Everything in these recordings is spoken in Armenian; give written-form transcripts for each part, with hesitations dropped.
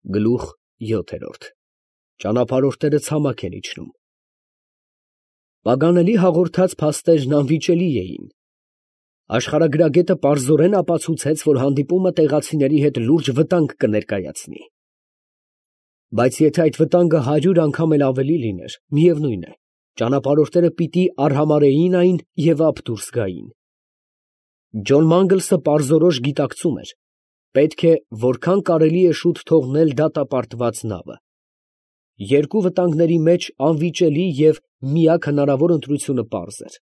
Գլուխ 7 Ճանապարհորդները ցամաք են իջնում։ Պագանելի հաղորդած փաստերն անվիճելի էին։ Աշխարհագրագետը պարզորեն ապացուցեց, որ հանդիպումը տեղացիների հետ լուրջ վտանգ կներկայացնի։ Բայց եթե այդ վտանգը 100 անգամ էլ ավելի լիներ, միևնույն է, ճանապարհորդները պիտի արհամարհեին այն և ափ դուրս գային։ Ջոն Մանգլսը պարզորոշ գիտակցում էր, պետք է որքան կարելի է շուտ թողնել դատապարտված նավը։ Երկու վտանգների մեջ անվիճելի և միակ հնարավոր ընտրությունը պարզ էր։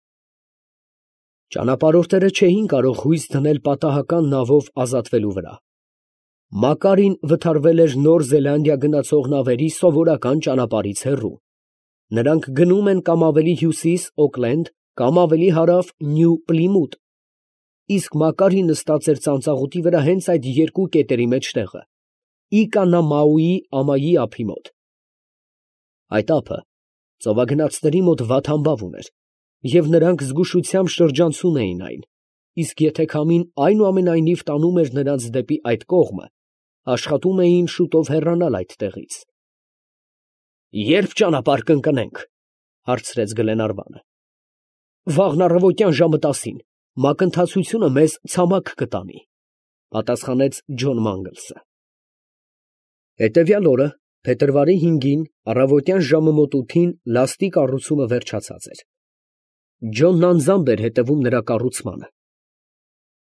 Ճանապարհորդները չէին կարող հույս դնել պատահական նավով ազատվելու վրա։ Մակարին վթարվել էր Նոր Զելանդիա գնացող նավերի սովորական ճանապարհից հեռու։ Նրանք գնում են կամ ավելի հյուսիս Օքլենդ, կամ ավելի հարավ Նյու Պլիմութ, իսկ Մակարին նստած էր ծանծաղուտի վրա հենց այդ երկու կետերի մեջտեղը, Իկանամաուի ամայի ափի մոտ։ Այդ ափը ծովագնացների մոտ վատ համբավ ուներ, և նրանք զգուշությամբ շրջանցում էին այն, իսկ եթե քամին այնուամենայնիվ տանում էր նրանց դեպի այդ կողմը, աշխատում էին շուտով հեռանալ այդտեղից։ «Ե՞րբ ճանապարհ կընկնենք, ֊ հարցրեց Գլենարվանը։ ֊ Վաղն առավոտյան ժամը 10-ին, մակընթացությունը մեզ ցամաք կտանի, ֊ պատասխանեց Ջոն Մանգլսը։ Հետևյալ օրը, փետրվարի 5-ին, առավոտյան ժամը մոտ 8-ին լաստի կառուցումը վերջացած էր։ Ջոնն անձամբ էր հետևում նրա կառուցմանը։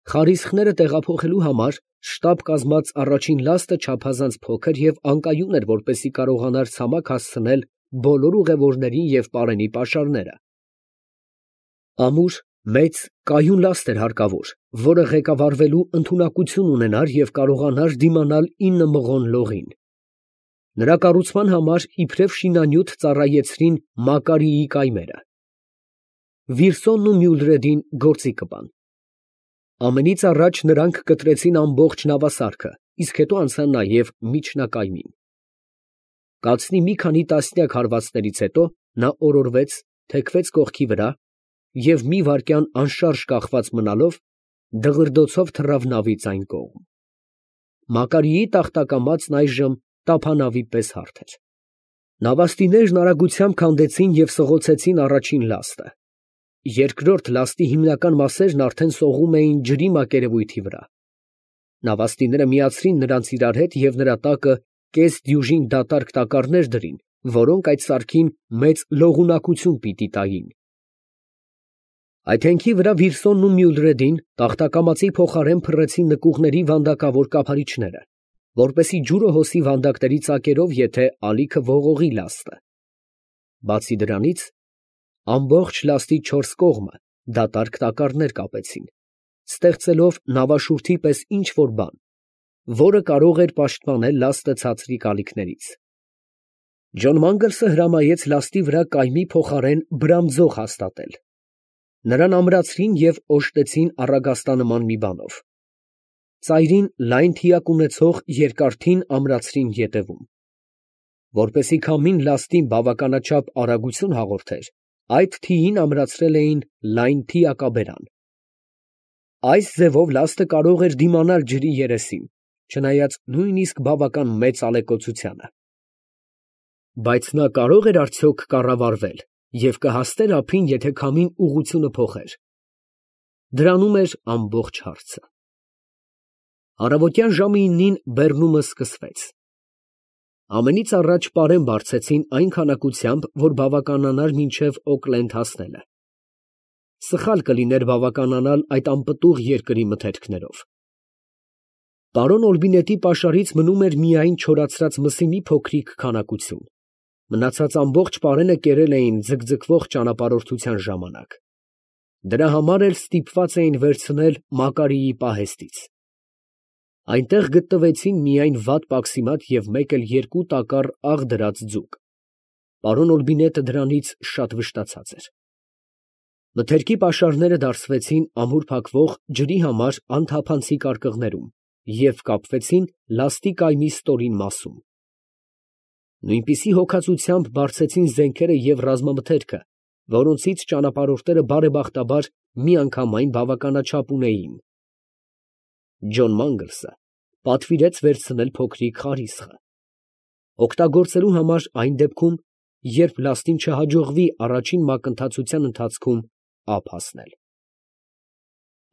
Խարիսխները տեղափոխելու համար շտապ կազմած առաջին լաստը չափազանց փոքր և անկայուն էր, որպեսզի կարողանար ցամաք հասցնել բոլոր ուղևորներին և պարենի պաշարները։ Ամուր, մեծ, կայուն լաստ էր հարկավոր, որը ղեկավարվելու ընդունակություն ունենար և կարողանար դիմանալ 9 մղոն լողին։ Նրա կառուցման համար իբրև շինանյութ ծառայեցրին Մակարիի կայմերը։ Վիրսոնն ու Մյուլրեդին գործի կպան։ Ամենից առաջ նրանք կտրեցին ամբողջ նավասարքը, իսկ հետո անցան նաև միջնակայմին։ Կացնի մի քանի տասնյակ հարվածներից հետո նա օրորվեց, թեքվեց կողքի վրա և մի վայրկյան անշարժ կախված մնալով, դղրդոցով թռավ նավից այն կողմ։ Մակարիի տախտակամածն այժմ տափանավի պես հարթ էր։ Նավաստիներն արագությամբ քանդեցին և սղոցեցին առաջին լաստը։ Երկրորդ լաստի հիմնական մասերն արդեն սողում էին ջրի մակերևույթի վրա։ Նավաստիները միացրին նրանց իրար հետ և նրա տակը կես դյուժին դատարկ տակառներ դրին, որոնք այդ սարքին մեծ լողունակություն պիտի տային։ Այդ հենքի վրա Վիրսոնն ու Մյուլրեդին տախտակամածի փոխարեն փռեցին նկուղների վանդակավոր կափարիչները, որպեսզի ջուրը հոսի վանդակների ծակերով, եթե ալիքը ողողի լաստը։ Բացի դրանից, ամբողջ լաստի 4 կողմը դատարկ տակառներ կապեցին, ստեղծելով նավաշուրթի պես ինչ֊որ բան, որը կարող էր պաշտպանել լաստը ցածրիկ ալիքներից։ Ջոն Մանգլսը հրամայեց լաստի վրա կայմի փոխարեն բրամձող հաստատել։ Նրան ամրացրին և օժտեցին առագաստանման մի բանով։ Ծայրին լայն թիակ ունեցող երկար թին ամրացրին ետևում։ Որպեսզի քամին լաստին բավականաչափ արագություն հաղորդեր, այդ թիին ամրացրել էին լայն թիակաբերան։ Այս ձևով լաստը կարող էր դիմանալ ջրի երեսին, չնայած նույնիսկ բավական մեծ ալեկոծությանը։ Բայց նա կարո՞ղ էր արդյոք կառավարվել և կհասներ ափին, եթե քամին ուղղությունը փոխեր։ Դրանում էր ամբողջ հարցը։ Առավոտյան ժամը 9-ին բեռնումը սկսվեց։ Ամենից առաջ պարեն բարձեցին այն քանակությամբ, որ բավականանար մինչև Օքլենդ հասնելը։ Սխալ կլիներ բավականանալ այդ անպտուղ երկրի մթերքներով։ Պարոն Օլբինետի պաշարից մնում էր միայն չորացրած մսի մի փոքրիկ քանակություն։ Մնացած ամբողջ պարենը կերել էին ձգձգվող ճանապարհորդության ժամանակ։ Դրա համար էլ ստիպված էին վերցնել Մակարիի պահեստից։ Այնտեղ գտնվեցին միայն վատ պաքսիմատ և մեկ էլ երկու տակառ աղ դրած ձուկ։ Պարոն Օլբինետը դրանից շատ վշտացած էր։ Մթերքի պաշարները դարսվեցին ամուր փակվող ջրի համար անթափանցիկ արկղներում և կապվեցին լաստի կայմի ստորին մասում։ Նույնպիսի հոգածությամբ բարձեցին զենքերը և ռազմամթերքը, որոնցից ճանապարհորդները բարեբախտաբար միանգամայն բավականաչափ ունեին։ Ջոն Մանգլսը պատվիրեց վերցնել փոքրիկ խարիսխը, օգտագործելու համար այն դեպքում, երբ լաստին չհաջողվի առաջին մակընթացության ընթացքում ափ հասնել։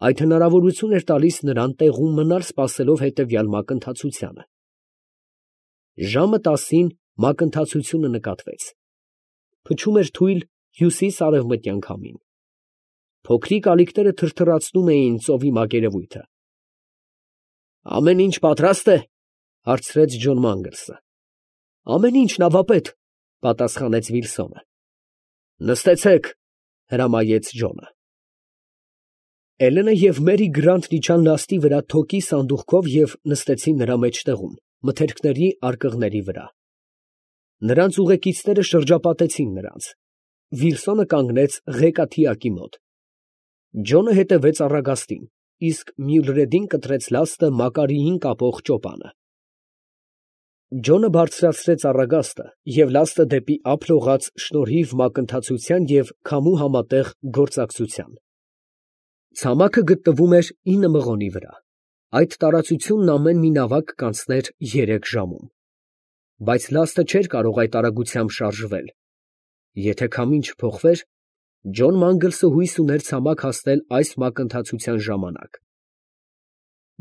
Այդ հնարավորություն էր տալիս նրան տեղում մնալ սպասելով հետևյալ մակընթացությանը։ Ժամը 10-ին մակընթացությունը նկատվեց։ Փչում էր թույլ հյուսիս֊արևմտյան քամին։ Փոքրիկ ալիքները թրթռացնում էին ծովի մակերևույթը։ «Ամեն ինչ պատրաստ է», ֊ հարցրեց Ջոն Մանգլսը։ «Ամեն ինչ, նավապետ», ֊ պատասխանեց Վիլսոնը։ «Նստեցեք», ֊ հրամայեց Ջոնը։ Էլենը և Մերի Գրանտն իջան լաստի վրա թոկի սանդուղքով և նստեցին նրա մեջտեղում, մթերքների արկղների վրա։ Նրանց ուղեկիցները շրջապատեցին նրանց։ Վիլսոնը կանգնեց ղեկաթիակի մոտ։ Ջոնը հետևեց առագաստին, իսկ Մյուլրեդին կտրեց լաստը Մակարիին կապող ճոպանը։ Ջոնը բարձրացրեց առագաստը և լաստը դեպի ափ լողաց շնորհիվ մակընթացության և քամու համատեղ գործակցության։ Ցամաքը գտնվում էր 9 մղոնի վրա։ Այդ տարածությունն ամեն մի նավակ կանցներ 3 ժամում։ Բայց լաստը չէր կարող այդ արագությամբ շարժվել։ Եթե քամին չփոխվեր, Ջոն Մանգլսը հույս ուներ ցամաք հասնել այս մակընթացության ժամանակ։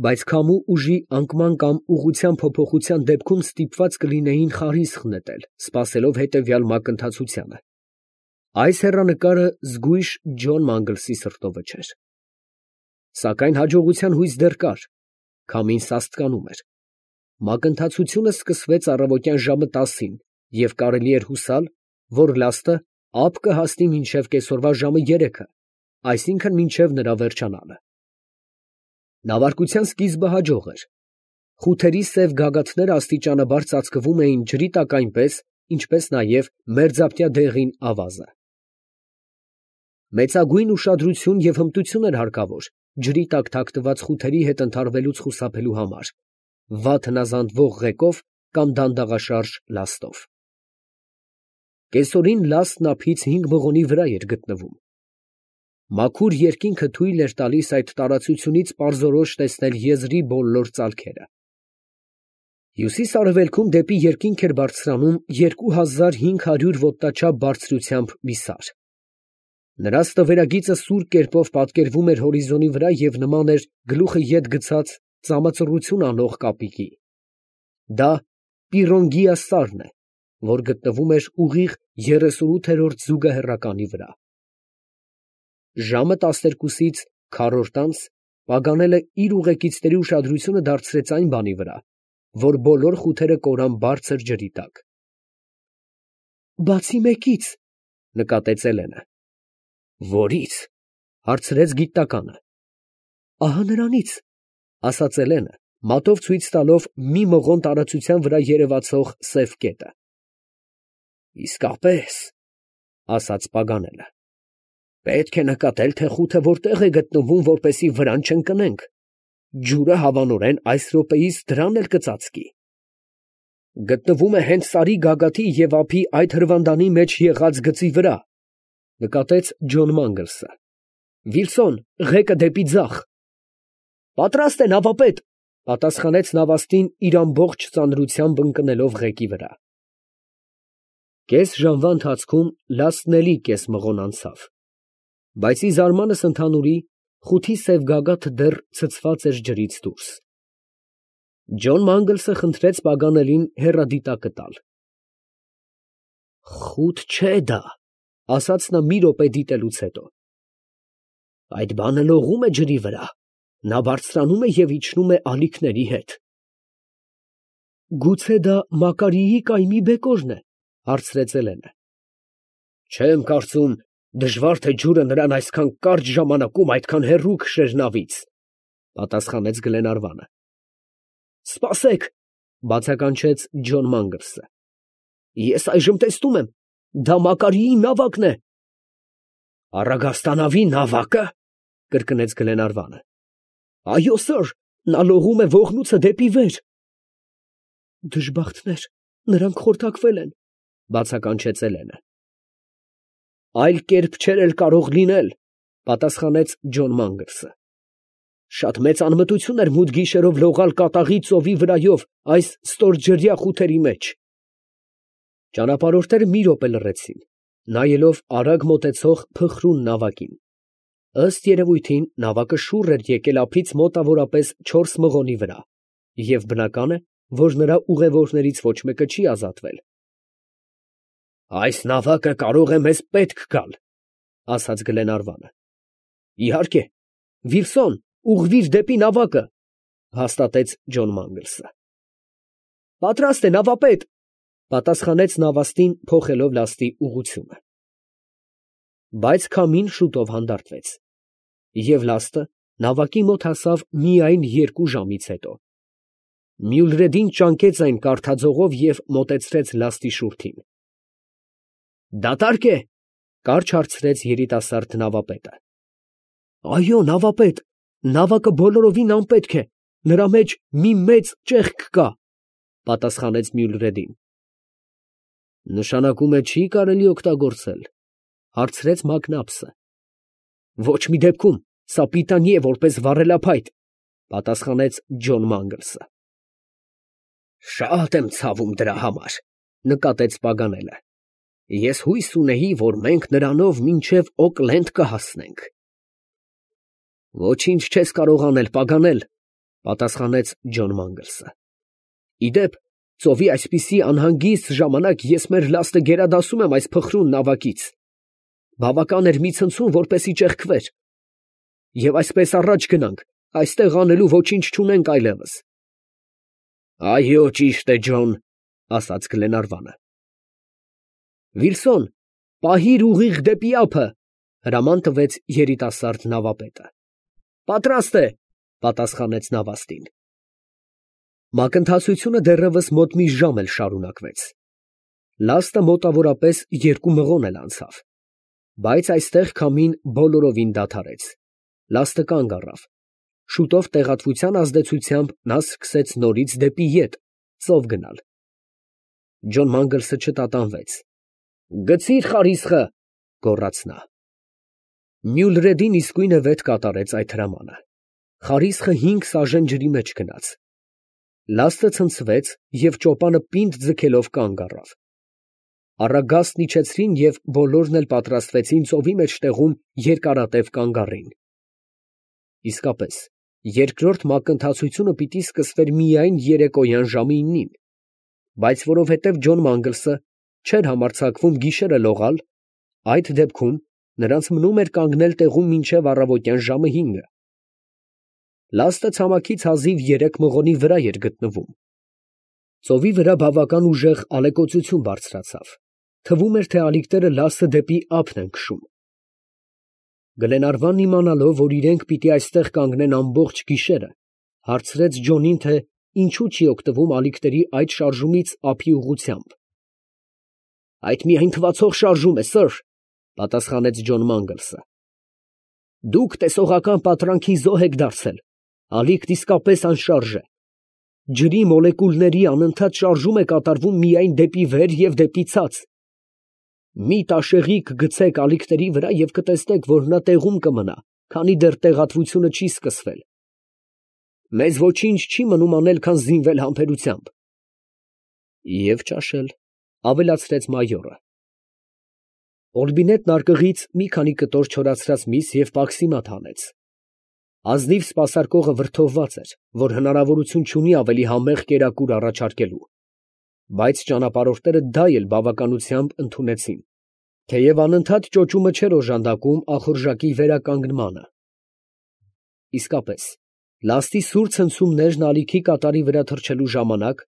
Բայց քամու ուժի անկման կամ ուղղության փոփոխության դեպքում ստիպված կլինեին խարիսխ նետել, սպասելով հետևյալ մակընթացությանը։ Այս հեռանկարը զգույշ Ջոն Մանգլսի սրտովը չէր։ Սակայն հաջողության հույս դեռ կար։ Քամին սաստկանում էր։ Մակընթացությունը սկսվեց առավոտյան ժամը 10-ին և կարելի էր հուսալ, որ լաստը ափ կհասնի մինչև կեսօրվա ժամը 3-ը, այսինքն մինչև նրա վերջանալը։ Նավարկության սկիզբը հաջող էր։ Խութերի սև գագաթները աստիճանաբար ծածկվում էին ջրի տակ այնպես, ինչպես նաև մերձապտյա դեղին ավազը։ Մեծագույն ուշադրություն և հմտություն էր հարկավոր ջրի տակ թաքնված խութերի հետ ընդհարվելուց խուսափելու համար, վատ հնազանդվող ղեկով կամ դանդաղաշարժ լաստով։ Կեսօրին լաստն ափից 5 մղոնի վրա էր գտնվում։ Մաքուր երկինքը թույլ էր տալիս այդ տարածությունից պարզորոշ տեսնել եզրի բոլոր ծալքերը։ Հյուսիս֊արևելքում դեպի երկինք էր բարձրանում 2500 ոտնաչափ բարձրությամբ մի սար։ Նրա ստվերագիծը սուր կերպով պատկերվում էր հորիզոնի վրա և նման էր գլուխը ետ գցած ծամածռություն անող կապիկի։ Դա Պիրոնգիա սարն է, որ գտնվում էր ուղիղ 38-րդ զուգահեռականի վրա։ Ժամը 12-ից քառորդ անց Պագանելը իր ուղեկիցների ուշադրությունը դարձրեց այն բանի վրա, որ բոլոր խութերը կորան բարձր ջրի տակ։ «Բացի մեկից», ֊ նկատեց Էլենը։ «Որի՞ց», ֊ հարցրեց գիտնականը։ «Ահա նրանից», ֊ ասաց Էլենը, մատով ցույց տալով մի մղոն տարածության վրա երևացող սև կետը։ «Իսկապես», ֊ ասաց Պագանելը, «պետք է նկատել, թե խութը որտեղ է գտնվում, որպեսզի վրան չընկնենք։ Ջուրը հավանորեն այս րոպեիս դրան էլ կծածկի»։ «Գտնվում է հենց սարի գագաթի և ափի այդ հրվանդանի մեջ եղած գծի վրա», ֊ նկատեց Ջոն Մանգլսը։ «Վիլսոն, ղեկը դեպի ձախ»։ «Պատրաստ է, նավապետ», ֊ պատասխանեց նավաստին իր ամբողջ ծանրությամբ ընկնելով ղեկի վրա։ Կես ժամվա ընթացքում լաստն էլի կես մղոն անցավ, բայց ի զարմանս ընդհանուրի խութի սև գագաթը դեռ ցցված էր ջրից դուրս։ Ջոն Մանգլսը խնդրեց Պագանելին հեռադիտակը տալ։ «Խուտ չէ դա», ֊ ասաց նա մի րոպե դիտելուց հետո։ «Այդ բանը լողում է ջրի վրա, նա բարձրանում է և իջնում է ալիքների հետ»։ «Գուցե դա Մակարիի կայմի բեկորն է», ֊ հարցրեց Էլենը։ «Չեմ կարծում դժվար թե ջուրը նրան այսքան կարճ ժամանակում այդքան հեռու քշեր նավից», ֊ պատասխանեց Գլենարվանը։ «Սպասեք», ֊ բացականչեց Ջոն Մանգլսը։ «Ես այժմ տեսնում եմ, դա Մակարիի նավակն է»։ «Առագաստանավի նավակը», ֊ կրկնեց Գլենարվանը։ «Այո, սըր, նա լողում է Վողնուցը դեպի վեր»։ «Դժբախտներ, նրանք խորտակվել են», ֊ բացականչեց Էլենը։ «Այլ կերպ չէր էլ կարող լինել», ֊ պատասխանեց Ջոն Մանգլսը։ «Շատ մեծ անմտություն էր մութ գիշերով լողալ կատաղի ծովի վրայով այս ստորջրյա խութերի մեջ»։ Ճանապարհորդները մի րոպե լռեցին, նայելով արագ մոտեցող փխրուն նավակին։ Ըստ երևույթին, նավակը շուռ էր եկել ափից մոտավորապես 4 մղոնի վրա, և բնական է, որ նրա ուղևորներից ոչ մեկը չի ազատվել։ «Այս նավակը կարող է մեզ պետք գալ», ֊ ասաց Գլենարվանը։ «Իհարկե, Վիլսոն, ուղղվիր դեպի նավակը», ֊ հաստատեց Ջոն Մանգլսը։ «Պատրաստ է, նավապետ», ֊ պատասխանեց նավաստին, փոխելով լաստի ուղղությունը։ Բայց քամին շուտով հանդարտվեց, և լաստը նավակի մոտ հասավ միայն 2 ժամից հետո։ Մյուլրեդին ճանկեց այն կարդաձողով և մոտեցրեց լաստի շուրթին։ «Դատարկ է», ֊ կարճ հարցրեց երիտասարդ նավապետը։ «Այո, նավապետ, նավակը բոլորովին անպետք է, նրա մեջ մի մեծ ճեղք կա», ֊ պատասխանեց Մյուլրեդին։ «Նշանակում է չի կարելի օգտագործել», ֊ հարցրեց Մակնաբսը։ «Ոչ մի դեպքում, սա պիտանի է որպես վառելափայտ», ֊ պատասխանեց Ջոն Մանգլսը։ «Շատ եմ ցավում դրա համար», ֊ նկատեց Պագանելը։ «Ես հույս ունեի, որ մենք նրանով մինչև Օկլենդ կհասնենք»։ «Ոչինչ չես կարող անել, Պագանել», ֊ պատասխանեց Ջոն Մանգլսը։ «Ի դեպ, ծովի այսպիսի անհանգիստ ժամանակ ես մեր լաստը գերադասում եմ այս փխրուն նավակից։ Բավական էր մի ցնցում, որպեսզի ճեղքվեր։ Եվ այսպես առաջ գնանք, այստեղ անելու ոչինչ չունենք այլևս»։ «Այո, ճիշտ է, Ջոն», ֊ ասաց Գլենարվանը։ «Վիլսոն, պահիր ուղիղ դեպի ափը», ֊ հրաման տվեց երիտասարդ նավապետը։ «Պատրաստ է», ֊ պատասխանեց նավաստին։ Մակընթացությունը դեռևս մոտ մի ժամ էլ շարունակվեց։ Լաստը մոտավորապես 2 մղոն էլ անցավ, բայց այստեղ քամին բոլորովին դադարեց։ Լաստը կանգ առավ։ Շուտով տեղատվության ազդեցությամբ նա սկսեց նորից դեպի ետ, ծով գնալ։ Ջոն Մանգլսը չտատանվեց։ «Գցի՛ր խարիսխը», ֊ գոռաց նա։ Մյուլրեդին իսկույն վետ կատարեց այդ հրամանը։ Խարիսխը 5 սաժեն ջրի մեջ գնաց։ Լաստը ցնցվեց և ճոպանը պինդ ձգելով կանգ առավ։ Առագաստն իջեցրին և բոլորն էլ պատրաստվեցին ծովի մեջտեղում երկարատև կանգ առին։ Իսկապես, երկրորդ մակընթացությունը պիտի սկսվեր միայն երեկոյան ժամը 9-ին, բայց որովհետև Ջոն Մանգլսը չէր համարձակվում գիշերը լողալ, այդ դեպքում նրանց մնում էր կանգնել տեղում մինչև առավոտյան ժամը 5-ը։ Լաստը ցամաքից հազիվ 3 մղոնի վրա էր գտնվում։ Ծովի վրա բավական ուժեղ ալեկոծություն բարձրացավ, թվում էր, թե ալիքները լաստը դեպի ափն են քշում։ Գլենարվանն իմանալով, որ իրենք պիտի այստեղ կանգնեն ամբողջ գիշերը, հարցրեց Ջոնին, թե ինչու չի օգտվում ալիքների այդ շարժումից ափի ուղղությամբ։ «Այդ միայն թվացող շարժում է, սըր», ֊ պատասխանեց Ջոն Մանգլսը։ «Դուք տեսողական պատրանքի զոհ եք դարձել, ալիքն իսկապես անշարժ է։ Ջրի մոլեկուլների անընդհատ շարժում է կատարվում միայն դեպի վեր և դեպի ցած։ Մի տաշեղիկ գցեք ալիքների վրա և կտեսնեք, որ նա տեղում կմնա, քանի դեռ տեղատվությունը չի սկսվել։ Մեզ ոչինչ չի մնում անել, քան զինվել համբերությամբ»։ «Եվ ճաշել», ֊ ավելացրեց մայորը։ Օրբինետն արկղից մի քանի կտոր չորացրած միս և պաքսիմատ հանեց։ Ազնիվ սպասարկողը վրդովված էր, որ հնարավորություն չունի ավելի համեղ կերակուր առաջարկելու, բայց ճանապարհորդները դա էլ բավականությամբ ընդունեցին, թեև անընդհատ ճոճումը չէր օժանդակում ախորժակի վերականգնմանը։ Իսկապես, լաստի սուր ցնցումներն ալիքի կատարի վրա թռչելու ժամանակ,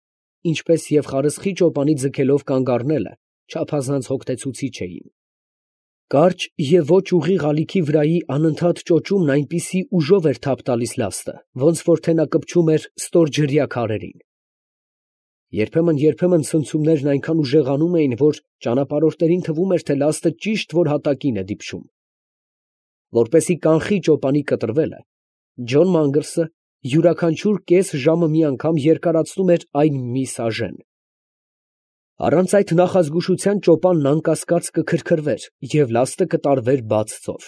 ինչպես և խարսխի ճոպանի ձգելով կանգ առնելը, չափազանց հոգնեցուցիչ էին։ Կարճ և ոչ ուղիղ ալիքի վրայի անընդհատ ճոճումն այնպիսի ուժով էր թափ տալիս լաստը, ոնց որ թե նա կպչում էր ստորջրյա քարերին։ Երբեմն ցնցումներն այնքան ուժեղանում էին, որ ճանապարհորդներին թվում էր, թե լաստը ճիշտ որ հատակին է դիպչում։ Որպեսզի կանխի ճոպանի կտրվելը, Ջոն Մանգլսը յուրաքանչյուր կես ժամը մի անգամ երկարացնում էր այն մի սաժեն։ Առանց այդ նախազգուշության ճոպանն անկասկած կքրքրվեր և լաստը կտարվեր բաց ծով։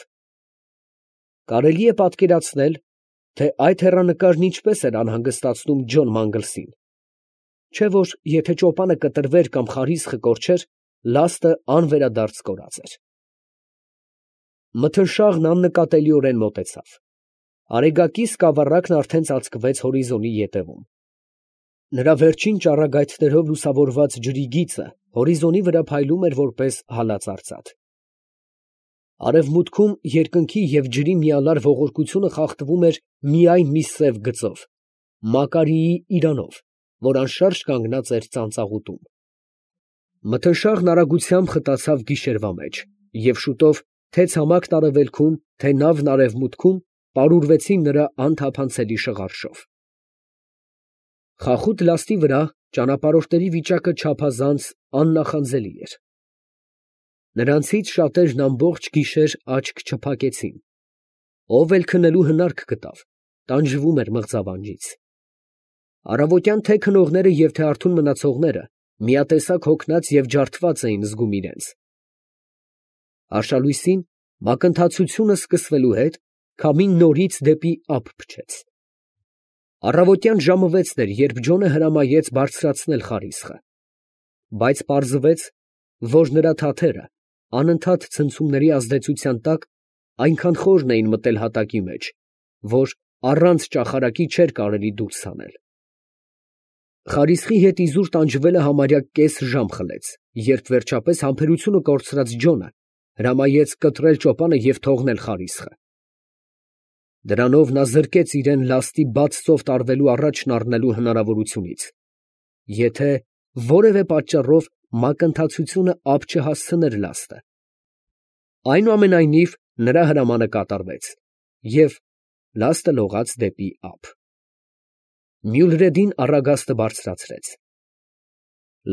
Կարելի է պատկերացնել, թե այդ հեռանկարն ինչպես էր անհանգստացնում Ջոն Մանգլսին։ Չէ որ եթե ճոպանը կտրվեր կամ խարիսխը կորչեր, լաստը անվերադարձ կորած էր։ Մթնշաղն աննկատելիորեն մոտեցավ։ Արեգակի սկավառակն արդեն ծածկվեց հորիզոնի ետևում։ Նրա վերջին ճառագայթներով լուսավորված ջրի գիծը հորիզոնի վրա փայլում էր որպես հալած արծաթ։ Արևմուտքում երկնքի և ջրի միալար ողորկությունը խախտվում էր միայն մի սև գծով, Մակարիի իրանով, որ անշարժ կանգնած էր ծանծաղուտում։ Մթնշաղն արագությամբ խտացավ գիշերվա մեջ, և շուտով թե ցամաքն արևելքում, թե նավն արևմուտքում պարուրվեցին նրա անթափանցելի շղարշով։ Խախուտ լաստի վրա ճանապարհորդների վիճակը չափազանց աննախանձելի էր։ Նրանցից շատերն ամբողջ գիշեր աչք չփակեցին։ Ով էլ քնելու հնարք գտավ, տանջվում էր մղձավանջից։ Առավոտյան թե քնողները և թե արթուն մնացողները միատեսակ հոգնած և ջարդված էին զգում իրենց։ Արշալույսին մակընթացությունը սկսվելու հետ քամին նորից դեպի ափ փչեց։ Առավոտյան ժամը 6-ն էր, երբ Ջոնը հրամայեց բարձրացնել խարիսխը, բայց պարզվեց, որ նրա թաթերը անընդհատ ցնցումների ազդեցության տակ այնքան խորն էին մտել հատակի մեջ, որ առանց ճախարակի չէր կարելի դուրս հանել։ Խարիսխի հետ իզուր տանջվելը համարյա կես ժամ խլեց, երբ վերջապես համբերությունը կորցրած Ջոնը հրամայեց կտրել ճոպանը և թողնել խարիսխը։ Դրանով նա զրկեց իրեն լաստի բաց ծով տարվելու առաջն առնելու հնարավորությունից, եթե որևէ պատճառով մակընթացությունը ափ չհասցներ լաստը։ Այնուամենայնիվ նրա հրամանը կատարվեց, և լաստը լողաց դեպի ափ։ Մյուլրեդին առագաստը բարձրացրեց։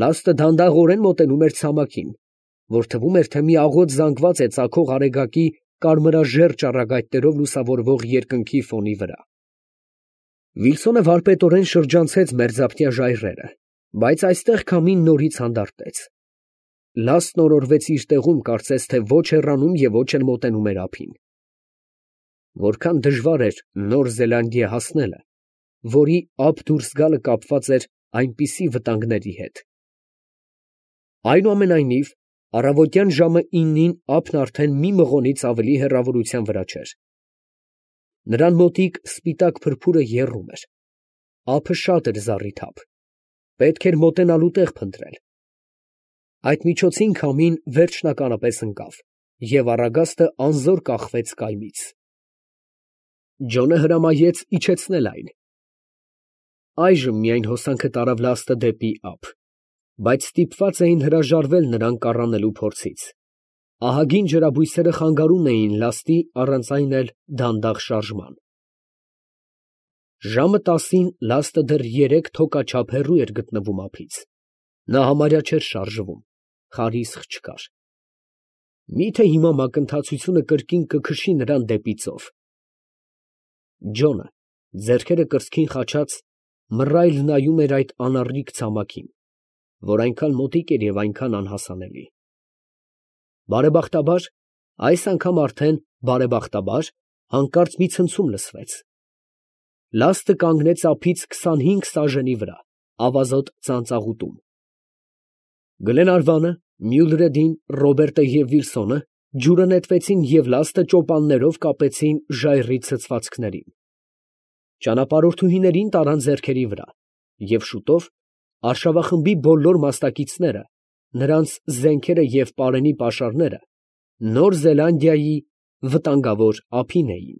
Լաստը դանդաղորեն մոտենում էր ցամաքին, որ թվում էր, թե մի աղոտ զանգված է ծագող արեգակի կարմրաժեռ ճառագայթներով լուսավորվող երկնքի ֆոնի վրա։ Վիլսոնը վարպետորեն շրջանցեց մերձափնյա ժայռերը, բայց այստեղ քամին նորից հանդարտեց։ Լաստն օրորվեց իր տեղում, կարծես թե ոչ հեռանում և ոչ էլ մոտենում էր ափին։ Որքան դժվար էր Նոր Զելանդիա հասնելը, որի ափ դուրս գալը կապված էր այնպիսի վտանգների հետ։ Այնուամենայնիվ, առավոտյան ժամը 9-ին ափն արդեն մի մղոնից ավելի հեռավորության վրա չէր։ Նրան մոտիկ սպիտակ փրփուրը եռում էր։ Ափը շատ էր զառիթափ։ Պետք էր մոտենալու տեղ փնտրել։ Այդ միջոցին քամին վերջնականապես ընկավ, և առագաստը անզոր կախվեց կայմից։ Ջոնը հրամայեց իջեցնել այն։ Այժմ միայն հոսանքը տարավ լաստը դեպի ափ, բայց ստիպված էին հրաժարվել նրան կառանելու փորձից։ Ահագին ջրաբույսերը խանգարում էին լաստի առանց այն էլ դանդաղ շարժման։ Ժամը 10-ին լաստը դեռ 3 թոկաչափ հեռու էր գտնվում ափից։ Նա համարյա չէր շարժվում, խարիսխ չկար։ Մի՞թե հիմա մակընթացությունը կրկին կքշի նրան դեպի ծով։ Ջոնը, ձեռքերը կրծքին խաչած, մռայլ նայում էր այդ անառիկ ցամաքին, որ այնքան մոտիկ էր և այնքան անհասանելի։ Բարեբախտաբար, այս անգամ արդեն բարեբախտաբար, հանկարծ մի ցնցում լսվեց։ Լաստը կանգնեց ափից 25 սաժենի վրա, ավազոտ ծանծաղուտում։ Գլենարվանը, Մյուլրեդին, Ռոբերտը և Վիլսոնը ջուրը նետվեցին և լաստը ճոպաններով կապեցին ժայռի ցցվածքներին։ Ճանապարհորդուհիներին տարան ձեռքերի վրա, և շուտով արշավախմբի բոլոր մասնակիցները, նրանց զենքերը և պարենի պաշարները Նոր Զելանդիայի վտանգավոր ափին էին։